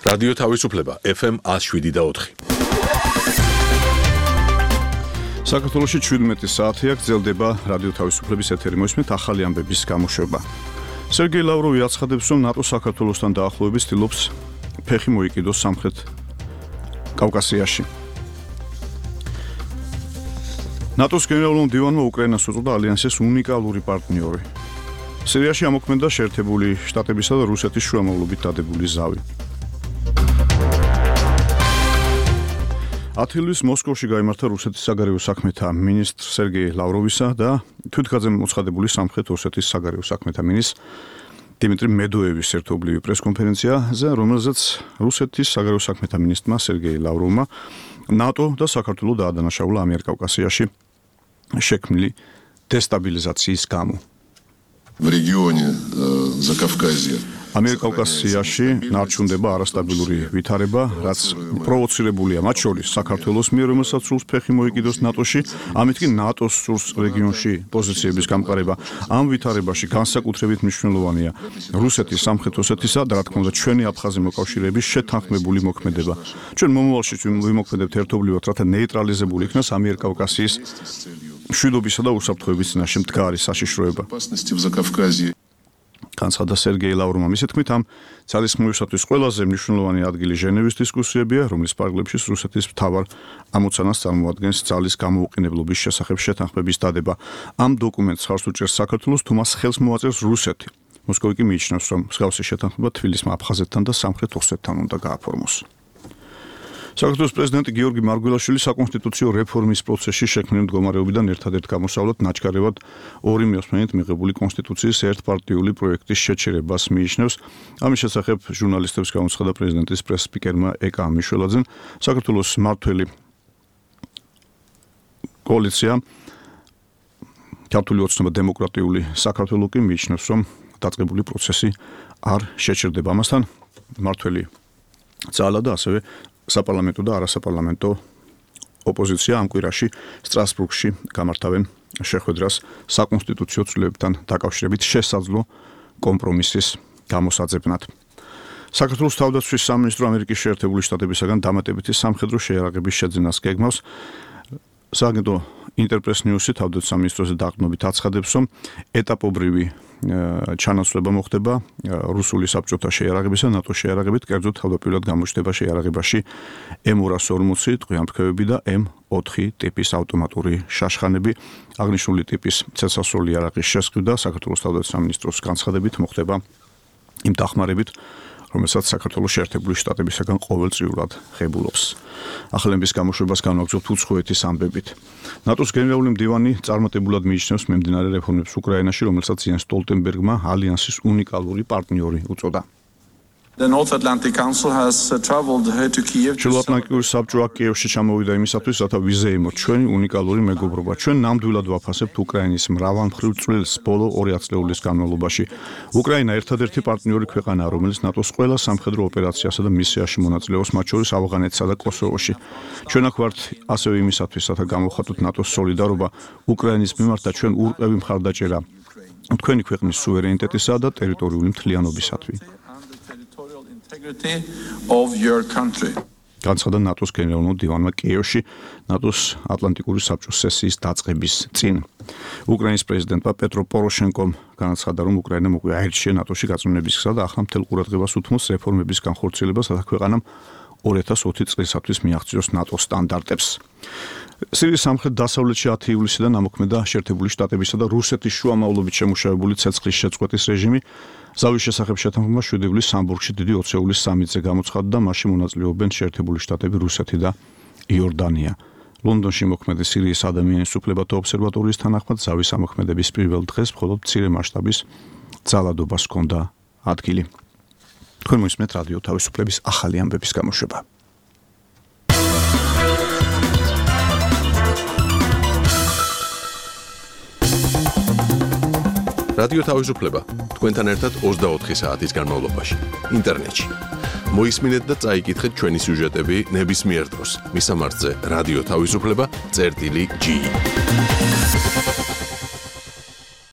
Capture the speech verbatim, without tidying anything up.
რადიო თავისუფლება ეფ ემ ათს შვიდი და ოთხი. საქართველოში შვიდმეტი საათია გრძელდება რადიო თავისუფლების ეთერი. მოისმენთ ახალი ამბების გამოშვება. სერგეი ლავროვი აცხადებს, რომ ნატო საქართველოსთან დაახლოების ცდილობს ფეხი მოიკიდოს სამხრეთ კავკასიაში. ნატოს გენერალურ მდივანმა უკრაინას უწოდა ალიანსის უნიკალური პარტნიორი. სირიაში ამოქმედა შეერთებული შტატებისა და რუსეთის შუამავლობით დადებული ზავი. ათი ივლისს მოსკოვში გაიმართა რუსეთის საგარეო საქმეთა მინისტრ სერგეი ლავროვისა და თვითგაძემ მოცხადებული სამხრეთ ოსეთის საგარეო საქმეთა მინისტრ დიმიტრი მედოევის ერთობლივი პრესკონფერენციაზე, რომელზეც რუსეთის საგარეო საქმეთა მინისტრმა სერგეი ლავროვმა ნატო და საქართველოს დაადანაშაულა ამიერკავკასიაში შექმნილი დესტაბილიზაციის გამო. В регионе Закавказья ამიერკავკასიაში ნარჩუნდება არასტაბილური ვითარება, რაც პროვოცირებულია მათ შორის საქართველოს მიერ, რომელსაც სურს ფეხი მოიკიდოს ნატოში, ამით კი ნატოს სურს რეგიონში პოზიციების გამყარება. ამ ვითარებაში განსაკუთრებით მნიშვნელოვანია რუსეთის, სამხრეთ ოსეთისა და რა თქმა უნდა ჩვენი აფხაზი მოკავშირეების შეთანხმებული მოქმედება. ჩვენ მომავალში ვიმოქმედებთ ერთობლივად, რათა ნეიტრალიზებული იქნას ამიერკავკასიის მშვიდობისა და უსაფრთხოების წინაშე მდგარი საშიშროება. განცხადა სერგეი ლავროვმა. მისი თქმით, ამ ძალისხმევისათვის ყველაზე მნიშვნელოვანი ადგილი ჟენევის დისკუსიებია, რომლის პარალელში რუსეთის მთავარ ამოცანას წარმოადგენს ძალის გამოუყენებლობის შესახებ შეთანხმების დადება. ამ დოკუმენტს ხარს უჭერს საქართველოს, თუ მას ხელს მოაწერს რუსეთი. მოსკოვი კი მიიჩნევს, რომ მსგავსი შეთანხმება თბილისმა აფხაზეთთან და სამხრეთ ოსეთთან უნდა გააფორმოს. საქართველოს პრეზიდენტი გიორგი მარგველაშვილი საკონსტიტუციო რეფორმის პროცესში შექმნილი მდგომარეობიდან ერთადერთ გამოსავლად ნაჩქარევად ორი მიოსმენით მიღებული კონსტიტუციის ერთპარტიული პროექტის შეჩერებას მიიჩნევს. ამის შესახებ ჟურნალისტებს გამოცხადა პრეზიდენტის პრეს-სპიკერმა ეკა მიშველაძემ. საქართველოს მმართველი კოალიცია ქართული ოცნება დემოკრატიული საქართველო კი მიიჩნევს, რომ დაწყებული პროცესი არ შეჩერდება. ამასთან მმართველი ძალა და ასევე საპარლამენტო და არასაპარლამენტო ოპოზიცია ამ კვირაში სტრასბურგში გამართავენ შეხვედრას საკონსტიტუციო ცვლილებებთან დაკავშირებით შესაძლო კომპრომისის გამოსაძებნად. საქართველოს თავდაცვის სამინისტრო ამერიკის შეერთებული შტატებისაგან დამატებითი სამხედრო შეიარაღების შეძენას გეგმავს. სააგენტო ინტერპრეს ნიუსი თავდაცვის სამინისტროზე დაყრდნობით აცხადებს, რომ ეტაპობრივი ჩანაცვლება მოხდება რუსული საბჭოთა შეიარაღებისა და ნატოს შეიარაღებით, კერძოდ თავდაპირველად გამოჩნდება შეიარაღებაში ემ ორას ორმოცი ტყვიამფრქვევები და ემ ოთხი ტიპის ავტომატური შაშხანები. აღნიშნული ტიპის ცეცხლსასროლი იარაღის შესყიდვა საქართველოს თავდაცვის სამინისტროს განცხადებით მოხდება იმ დახმარებით, რომელსაც საქართველოს შეერთებული შტატებისაგან ყოველწლიურად ღებულობს. ახალების გამოშვებას განვაგრძობთ უცხოეთის ამბებით. ნატოს გენერალური მდივანი წარმატებულად მიიჩნევს მიმდინარე რეფორმებს უკრაინაში, რომელსაც იენს სტოლტენბერგმა ალიანსის უნიკალური პარტნიორი უწოდა. The North Atlantic Council has uh, traveled here to Kiev. ჩრდილოატლანტიკური საბჭო კიევში ჩამოვიდა იმისათვის, რათა ვიზეიმოთ ჩვენი უნიკალური მეგობრობა. ჩვენ ნამდვილად ვაფასებთ უკრაინის მრავალმხრივ წვლილს ბოლო ორი ათწლეულის განმავლობაში. უკრაინა ერთადერთი პარტნიორი ქვეყანაა, რომელიც ნატოს ყველა სამხედრო ოპერაციასა და მისიაში მონაწილეობს, მათ შორის ავღანეთსა და კოსოვოში. ჩვენ აქ ვართ ასევე იმისათვის, რათა გამოვხატოთ ნატოს სოლიდარობა უკრაინის მიმართ და ჩვენ ურყევი მხარდაჭერა თქვენი ქვეყნის სუვერენიტეტისა და ტერიტორიული მთლიანობისათვის. of your country. განცხადა ნატოს გენერალურ მდივანმა კიევში ნატოს ატლანტიკური საბჭოს სესიის დაწყების წინ. უკრაინის პრეზიდენტმა პეტრო პოროშენკომ განაცხადა, რომ უკრაინა მოგვი აირჩია ნატოში გაწმენების გზა და ახლა მთელ ყურადღებას უთმობს რეფორმების განხორციელებას, რათა ქვეყანამ ორი ათას ოცი წლისათვის მიაღწიოს ნატოს სტანდარტებს. სირიის სამხრეთ დასავლეთში ათი ივლისიდან ამოქმედა შეერთებული შტატებისა და რუსეთის შუამავლობით შემუშავებული ცეცხლის შეწყვეტის რეჟიმი. ზავის შესახებ შეთანხმება შვიდი ივლისს სამბურგში დიდი ოცეულის სამიტზე გამოცხადდა და მასში მონაწილეობენ შეერთებული შტატები, რუსეთი და იორდანია. ლონდონში მოქმედი სირიის ადამიანის უფლებათა ობსერვატორიის თანახმად ზავის ამოქმედების პირველ დღეს მხოლოდ მცირე მასშტაბის ძალადობას ჰქონდა ადგილი. თქვენ მოისმენთ რადიო თავისუფლების ახალი ამბების გამოშვება. რადიო თავისუფლება თქვენთან ერთად ოცდაოთხი საათის განმავლობაში ინტერნეტში. მოისმინეთ და წაიკითხეთ ჩვენი სიუჟეტები ნებისმიერ დროს. მისამართზე რადიო თავისუფლება წერტილი ჯი.